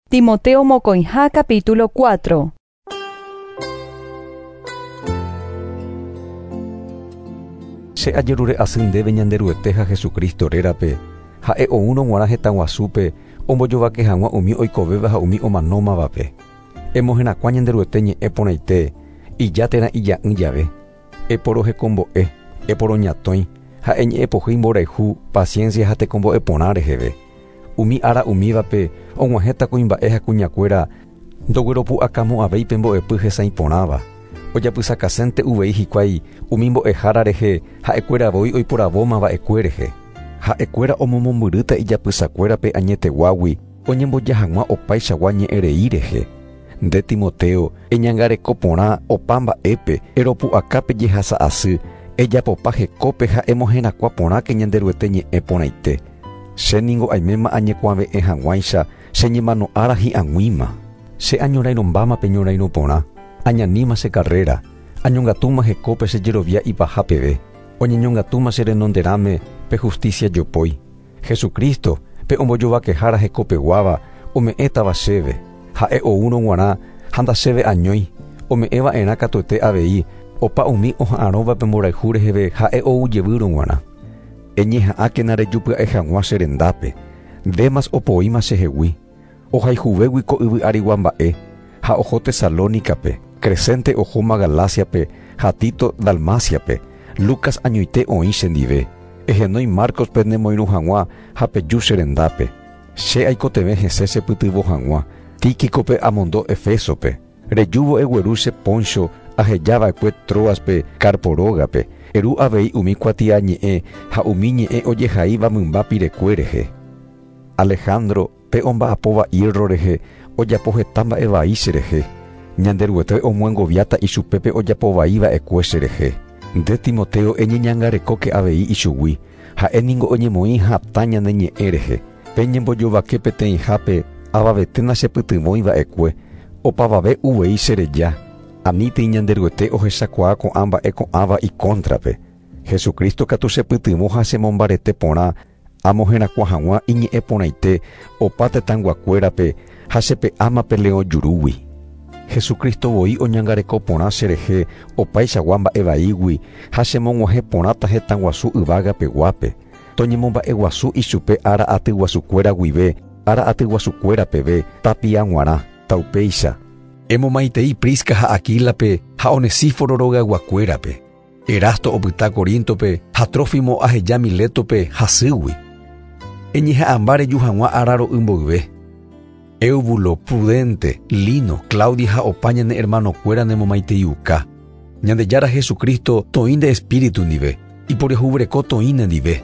Timoteo mokõiha capítulo 4. Che ajerure asy ndéve Ñanderuete ha Jesucristo rérape, ha'e oúrõ g̃uarã hetã guasúpe ombojovake hag̃ua umi oikovéva ha umi omanómavape. Emoherakuã Ñanderuete ñe'ẽ porãite, ija térã ija'ỹ jave. Eporohekombo'e, eporoñatõi ha eñe'ẽpohýi mborayhu, paciencia ha tekombo'e porã reheve. Umi ára umívape og̃uahẽta kuimba'e ha kuñakuéra ndogueropu'akamo'ãvéi pe mbo'epy hesãi porãva. Ojapysakasénte uvei hikuái umi mbo'ehára rehe ha'ekuéra voi oiporavóma va'ekue rehe. Ha'ekuéra omomombyrýta ijapysakuéra pe añeteguágui oñemboja hag̃ua opaichagua ñe'ẽrei rehe. Nde Timoteo, eñangareko porã opa mba'épe, eropu'aka pe jehasa asy, ejapopa hekópe ha emoherakuã porãke Ñanderuete ñe'ẽ porãite. Che ningo aiméma añekuave'ẽ hag̃uáicha che ñemano ára hi'ag̃uíma. Che añorairõmbáma pe ñorairõ porã, añaníma che carrera, añongatúma hekópe che jerovia ipaha peve, oñeñongatúma che renonderãme pe justicia jopói. Jesucristo, pe ombojovakehára hekopeguáva, ome'ẽtava chéve, ha'e oúrõ g̃uarã ha ndachéve añói, ome'ẽva'erã katuete avei opa umi oha'arõva pe mborayhu reheve ha'e ou jevýrõ g̃uarã. Eñeha'ãkena rejupya'e hag̃ua che rendápe, Demas opoíma chehegui, ohayhuvégui ko yvy arigua mba'e, ha oho Tesalónicape, Crescente ohóma Galáciape ha Tito Dalmáciape, Lucas añoite oĩ chendive. Ehenói Márcospe nemoirũ hag̃ua ha peju che rendápe. Che aikotevẽ hese chepytyvõ hag̃ua, Tíquicope amondo Efésope. Rejúvo egueru che póncho aheja va'ekue Tróaspe Carpo rógape, eru avei umi kuatiañe'ẽ ha umi ñe'ẽ ojehaíva mymba pirekue rehe. Alejandro, pe omba'apóva hierro rehe, ojapo heta mba'e vai cherehe. Ñanderuete omyengoviáta ichupe pe ojapo vai va'ekue cherehe. Nde Timoteo eñeñangarekóke avei ichugui, ha'e ningo oñemoĩ hatã ñane ñe'ẽ rehe. Pe ñembojovake peteĩhápe avavete nachepytyvõi va'ekue, opavave uvei chereja, anítei Ñanderuete ohechakuaa ko'ã mba'e ko'ãva ikóntrape. Jesucristo katu chepytyvõ ha chemombarete porã amoherakuã hag̃ua iñe'ẽ porãite opa tetãyguakuérape ha chepe'áma pe leõ jurúgui. Jesucristo voi oñangareko porã cherehe opaichagua mba'e vaígui ha chemog̃uahẽ porãta hetãguasu yvága peguápe. Toñemomba'eguasu ichupe ára atyguasukuéra guive ára atyguasukuéra peve tapia g̃uarã, taupéicha. Emomaitei Prisca ha Aquílape ha Onesíforo rogayguakuérape. Erasto opyta Coríntope ha Trófimo aheja Milétope hasýgui. Eñeha'ãmba reju hag̃ua ára ro'y mboyve. Eubulo, Prudente, Lino, Claudia ha opa ñane hermanokuéra nemomaiteiuka. Ñandejára Jesucristo toĩ nde espíritu ndive, iporiahuvereko toĩ nendive.